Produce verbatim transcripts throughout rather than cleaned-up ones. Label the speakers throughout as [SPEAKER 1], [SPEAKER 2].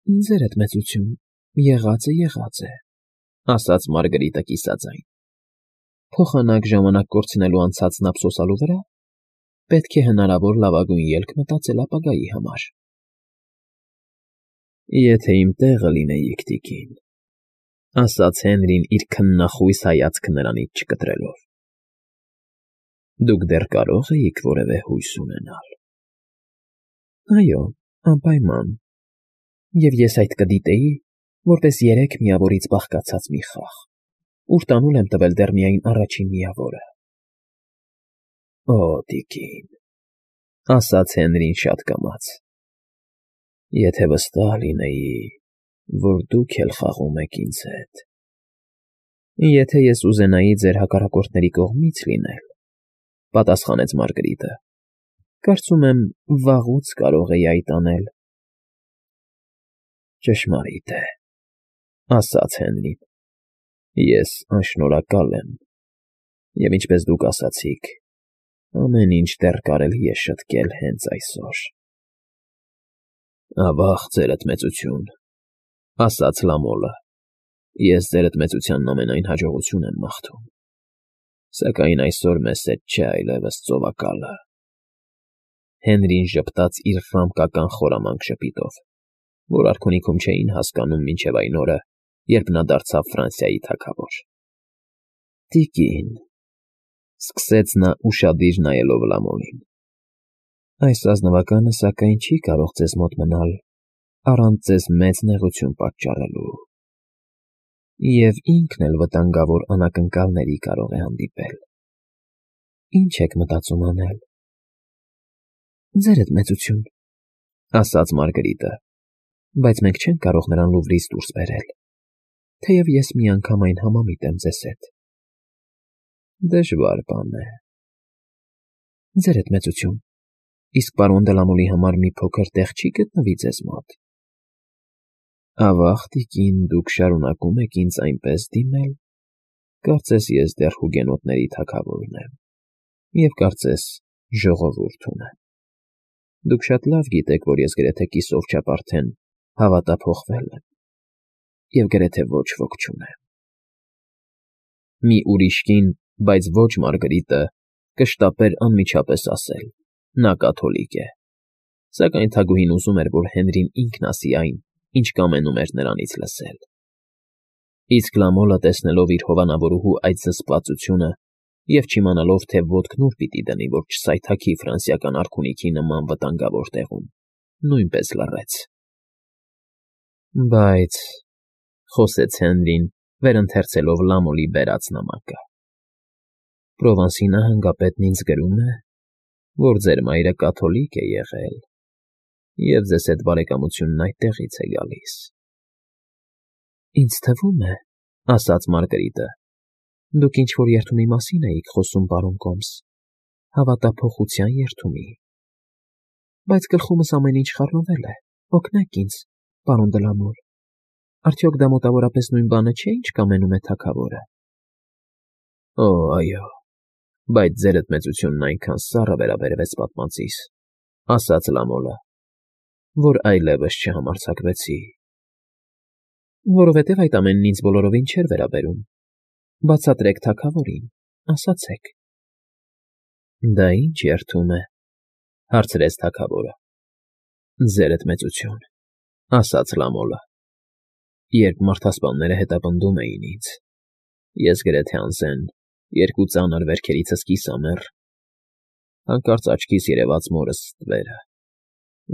[SPEAKER 1] Ձերդ մեծություն, եղածը եղած է, ասաց Մարգարիտը կիսաձայն։ Փոխանակ ժամանակ կորցնելու անցածն ափսոսալու վրա, պետք է հնարավոր լավագույն ելք մտածել ապագայի համար։ Եթե իմ տեղը լինեիք, տիկին, ասաց Հենրին իր քննախույս հայացքը նրանից չկտրելով, դուք դեռ կարող էիք որևէ հույս ունենալ։ Այո, անպայման, և ես այդ կդիտեի, որպես երեք միավորից բաղկացած մի խաղ, ուր տանուլ եմ տվել դեռ միայն առաջին միավորը։ Օ, տիկին, ասաց Հենրին շատ կամաց, եթե վստահ լինեի, որ դուք էլ խաղում եք ինձ հետ։ Եթե ես ուզենայի ձեր հակառակորդների կողմից լինել, պատասխանեց Մարգարիտը, կարծում եմ, վաղուց կարող էի այդ անել։ Ճշմարիտ է, ասաց Հենրին, ես անշնորհակալ եմ, և ինչպես դուք ասացիք, ամեն ինչ դեռ կարելի է շտկել հենց այսօր։ Ավա՜ղ ձերդ մեծություն, ասաց Լամոլը, ես ձերդ մեծությանն ամենայն հաջողություն եմ մաղթում, սակայն այսօր մեզ հետ չէ այլևս ծովակալը։ Հենրին ժպտաց իր ռամկական խորամանկ ժպիտով, որ արքունիքում չէին հասկանում մինչև այն օրը, երբ նա դարձավ Ֆրանսիայի թագավոր։ Տիկին, սկսեց նա ուշադիր նայելով Լամոլին, այս ազնվականը սակայն չի կարող ձեզ մոտ մնալ առանց ձեզ մեծ նեղություն պատճառելու, և ինքն էլ վտանգավոր անակնկալների կարող է հանդիպել։ Ինչ եք մտածում անել։ Ձերդ մեծություն, ասաց Մարգարիտը, բայց մենք չենք կարող նրան Լուվրից դուրս բերել, թեև ես միանգամայն համամիտ եմ ձեզ հետ։ Դժվար բան է։ Ձերդ մեծություն, իսկ պարոն դե Լամոլի համար մի փոքր տեղ չի գտնվի ձեզ մոտ։ Ավաղ, տիկին, դուք շարունակում եք ինձ այնպես դիմել, կարծես ես դեռ հուգենոտների թագավորն եմ, և կարծես ժողովուրդ ունեմ։ Դուք շատ լավ գիտեք, որ ես գրեթե կիսով չափ արդեն հավատափոխվել եմ, և գրեթե ոչ ոք չունեմ։ Մի ուրիշ կին, բայց ոչ Մարգարիտը, կշտապեր անմիջապես ասել. նա կաթոլիկ է, սակայն թագուհին ուզում էր, որ Հենրին ինքն ասի այն, ինչ կամենում էր նրանից լսել։ Իսկ Լամոլը, տեսնելով իր հովանավորուհու այդ զսպվածությունը և չիմանալով, թե ոտքն ուր պիտի դնի, որ չսայթաքի ֆրանսիական արքունիքի նման վտանգավոր տեղում, նույնպես լռեց։ Բայց, խոսեց Հենրին, վերընթերցելով Լամոլի բերած նամակը, Պրովանսի նահանգապետն ինձ գրում է, որ ձեր մայրը կաթոլիկ է եղել, և ձեզ հետ բարեկամությունն այդտեղից է գալիս։ Ինձ թվում է, ասաց Մարգարիտը, դուք ինչ֊որ երդումի մասին էիք խոսում, պարոն Կոմս, հավատափոխության երդումի։ Բայց գլխումս ամեն ինչ խառնվել է, օգնեք ինձ, պարոն դե Լամոլ, արդյոք դա մոտավորապես նույն բանը չէ, ինչ կամենում է թագավորը։ Օ, այո, բայց ձերդ մեծությունն այնքան սառը վերաբերվեց պատմածիս, ասաց Լամոլը, որ այլևս չհամարձակվեցի։ Որովհետև այդ ամենն ինձ բոլորովին չէր վերաբերում, բացատրեք թագավորին, ասացեք։ Դա ինչ երդում է, հարցրեց թագավորը։ Ձերդ մեծություն, ասաց Լամոլը, երբ մարդասպանները հետապնդում էին ինձ, ես գրեթե անզեն երկու ծանր վերքերիցս կիսամեռ, հանկարծ աչքիս երևաց մորս ստվերը,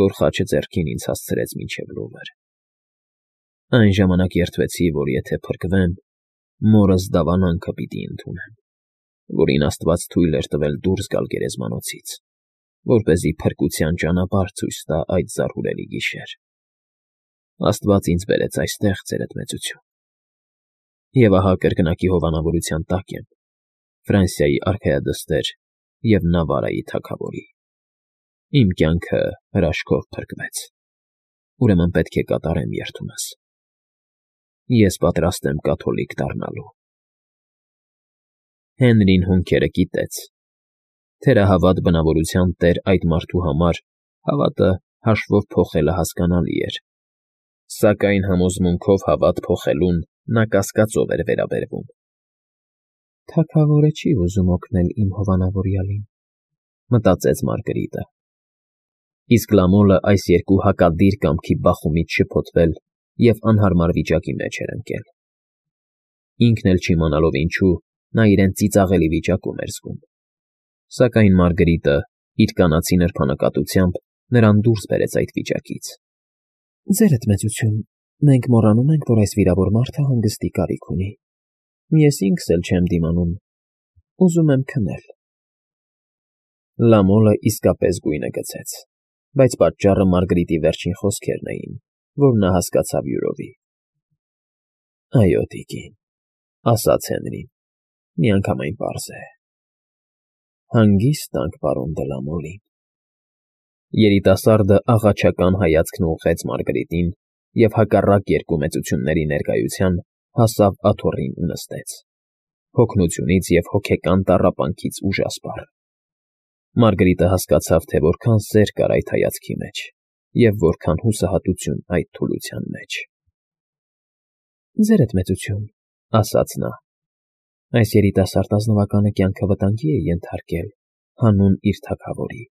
[SPEAKER 1] որ խաչը ձեռքին ինձ հասցրեց մինչև Լուվր։ Այն ժամանակ երդվեցի, որ եթե փրկվեմ, մորս դավանանքը պիտի ընդունեմ, որին Աստված թույլ էր տվել դուրս գալ գերեզմանոցից, որպեսզի փրկության ճանապարհ ցույց տա այդ զարհուրելի գիշեր։ Աստված ինձ բերեց այստեղ, ձերդ մեծություն։ Եվ ահա կրկնակի հովանավորության տակ եմ, Ֆրանսիայի արքայադստեր և Նավարայի թագավորի։ Իմ կյանքը հրաշքով փրկվեց, ուրեմն պետք է կատարեմ երդումս։ Ես պատրաստ եմ կաթոլիկ դառնալու։ Հենրին հոնքերը կիտեց։ Թերահավատ բնավորության տեր այդ մարդու համար հավատը հաշվով փոխելը հասկանալի էր, Սակայն համոզմունքով հավատ փոխելուն նա կասկածով էր վերաբերվում։ «Թագավորը չի ուզում օգնել իմ հովանավորյալին», մտածեց Մարգարիտը։ Իսկ Լամոլը այս երկու հակադիր կամքի բախումից շփոթվել և անհարմար վիճակի մեջ էր ընկել։ Ինքն էլ չիմանալով ինչու, նա իրեն ծիծաղելի վիճակում էր զգում։ Սակայն Մարգարիտը իր կանացի նրբանկատությամբ նրան դուրս բերեց այդ վիճակից։ «Ձերդ մեծություն, մենք մոռանում ենք, որ այս վիրավոր մարդը հանգստի կարիք ունի։ Ես ինքս էլ չեմ դիմանում, ուզում եմ քնել»։ Լամոլը իսկապես գույնը գցեց, բայց պատճառը Մարգարիտի վերջին խոսքերն էին, որ նա հասկացավ յուրովի։ «Այո, տիկին», ասաց Հենրին, միանգամայն պարզ է։ «Հանգիստ տանք պարոն դը Լամոլին»։ Երիտասարդը աղաչական հայացքն ուղղեց Մարգարիտին և հակառակ երկու մեծությունների ներկայության հասավ աթոռին ու նստեց, հոգնությունից և հոգեկան տառապանքից ուժասպառ։ Մարգարիտը հասկացավ, թե որքան սեր կար այդ հայացքի մեջ և որքան հուսահատություն այդ թուլության մեջ։ «Ձերդ մեծություն», ասաց նա, «այս երիտասարդ ազնվականը կյանքը վտանգի է ենթարկել հանուն իր թագավորի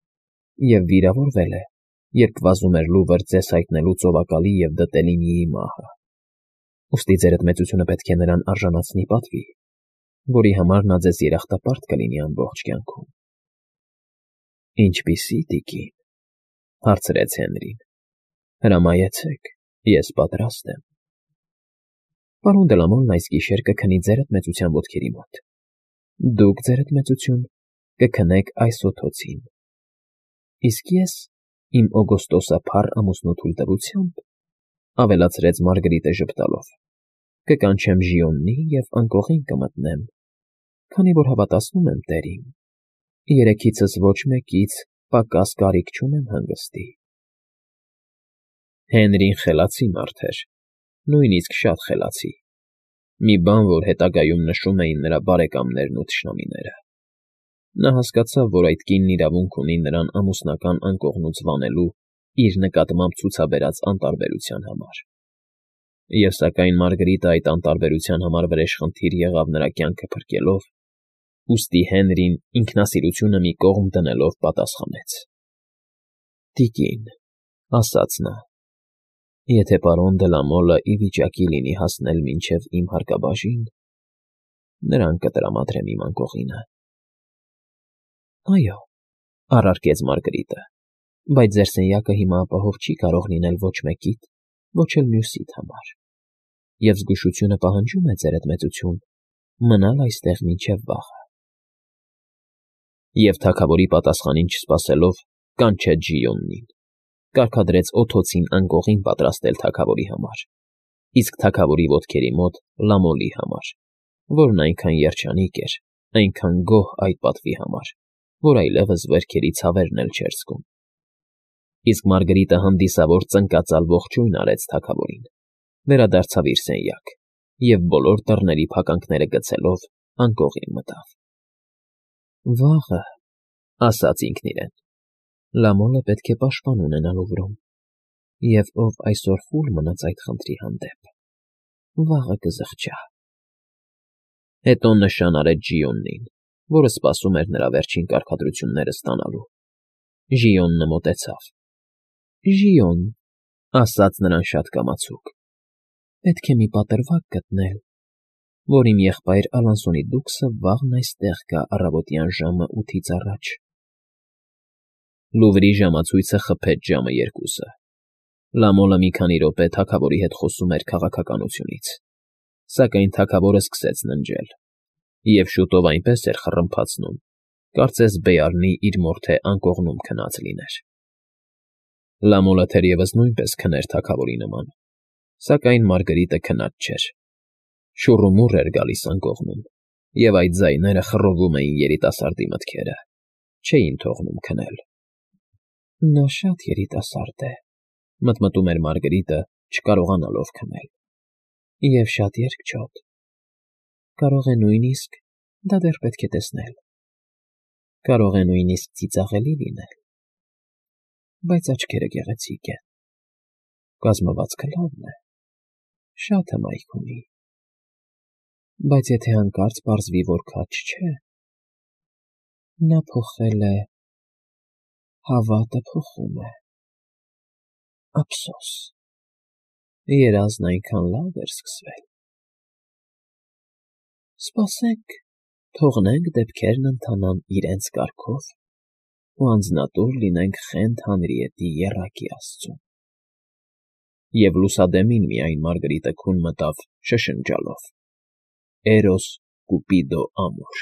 [SPEAKER 1] և վիրավորվել է, երբ վազում էր լուվր ձեզ հայտնելու ծովակալի և դտելի միի մահը։ Ուստի ձերդ մեծությունը պետք է նրան արժանացնի պատվի, որի համար նա ձեզ երախտապարտ կլինի ամբողջ կյանքում»։ «Ինչպիսի՞, տիկին», հարցրեց Հենրին։ «Հրամայեցեք, ես պատրաստ եմ»։ «Պարոն դը Լամոլն այս գիշեր կքնի ձերդ մեծության ոտքերի մոտ։ Դուք, ձերդ մեծություն, կքնեք այս օդոցին։ Իսկ ես իմ օգոստոսափառ ամուսնու թույլտվությամբ, ֊ ավելացրեց Մարգարիտը ժպտալով, ֊ կկանչեմ Ժիոննի և անկողին կմտնեմ, քանի որ հավատացնում եմ տերին, երեքիցս ոչ մեկից պակաս կարիք չունեմ հանգստի»։ Հենրին խելացի մարդ էր, նույնիսկ շատ խելացի, մի բան, որ հետագայում նշում էին նրա բարեկամներն ու թշնամիները։ Նա հասկացավ, որ այդ կինն իրավունք ունի նրան ամուսնական անկողնուց վանելու իր նկատմամբ ցուցաբերած անտարբերության համար։ Եվ սակայն Մարգարիտը այդ անտարբերության համար վրեժխնդիր եղավ նրա կյանքը փրկելով, ուստի Հենրին ինքնասիրությունը մի կողմ դնելով պատասխանեց. «Տիկին», ասաց նա, «եթե պարոն դը Լամոլը ի վիճակի լինի հասնել մինչև իմ հարկաբաժին, նրան կտրամադրեմ իմ անկողինը»։ «Այո», առարկեց Մարգարիտը, «բայց ձեր սենյակը հիմա ապահով չի կարող լինել ոչ մեկիդ, ոչ էլ մյուսիդ համար, և զգուշությունը պահանջում է, ձերդ մեծություն, մնալ այստեղ մինչև վաղը»։ Եվ թագավորի պատասխանին չսպասելով, կանչեց Ժիոննին, կարգադրեց օդոցին անկողին պատրաստել թագավորի համար, իսկ թագավորի ոտքերի մոտ Լամոլի համար, որն այնքան երջանիկ էր, այնքան գոհ այդ պատվի համար, որ այլևս վերքերի ցավերն էլ չէր զգում։ Իսկ Մարգարիտը հանդիսավոր ծնկածալ ողջույն արեց թագավորին, վերադարձավ իր սենյակ և բոլոր դռների փականքները գցելով անկողին մտավ։ «Վաղը», ֊ ասաց ինքն իրեն, ֊ «Լամոլը պետք է պաշտպան ունենա լուվրում, և ով այսօր խուլ մնաց այդ խնդրի հանդեպ, վաղը կզղջա»։ Հետո նշան արեց Ժիոննին, որը սպասում էր նրա վերջին կարգադրությունները ստանալու։ Ժիոնը մոտեցավ։ «Ժիոն», ֊ ասաց նրան շատ կամացուկ, ֊ «պետք է մի պատրվակ գտնել, որ իմ եղբայր Ալանսոնի դուքսը վաղն այստեղ գա առավոտյան ժամը ութից առաջ»։ Լուվրի ժամացույցը խփեց ժամը երկուսը։ Լամոլը մի քանի րոպե թագավորի հետ խոսում էր քաղաքականությունից, սակայն թագավորը սկսեց ննջել, և շուտով այնպես էր խռմփացնում, կարծես Բեյարնի իր մորթե անկողնում քնած լիներ։ Լամոլը թերևս նույնպես քներ թագավորի նման, սակայն Մարգարիտը քնած չէր։ Շուռումուռ էր գալիս անկողնում, և այդ ձայները խռովում էին երիտասարդի մտքերը, չէին թողնում քնել։ «Նա շատ երիտասարդ է», ֊ մտմտում էր Մարգարիտը, չկարողանալով քնել, «և շատ երկչոտ։ Կարող է նույնիսկ, դա դեռ պետք է տեսնել, կարող է նույնիսկ ծիծաղելի լինել, բայց աչքերը գեղեցիկ են, Կազմվածքը լավն է, շատ հմայք ունի, բայց եթե հանկարծ պարզվի, որ քաջ չէ, նա փոխել է, հավատը փոխում է, ափսոս, երազն այնքան լավ էր սկսվել… Սպասենք, թողնենք դեպքերն ընթանան իրենց կարգով ու անձնատուր լինենք խենթ Հանրիետի եռակի աստծուն… Եվ լուսադեմին միայն Մարգարիտը քուն մտավ շշնջալով. «Էրոս կուպիդո ամոր»։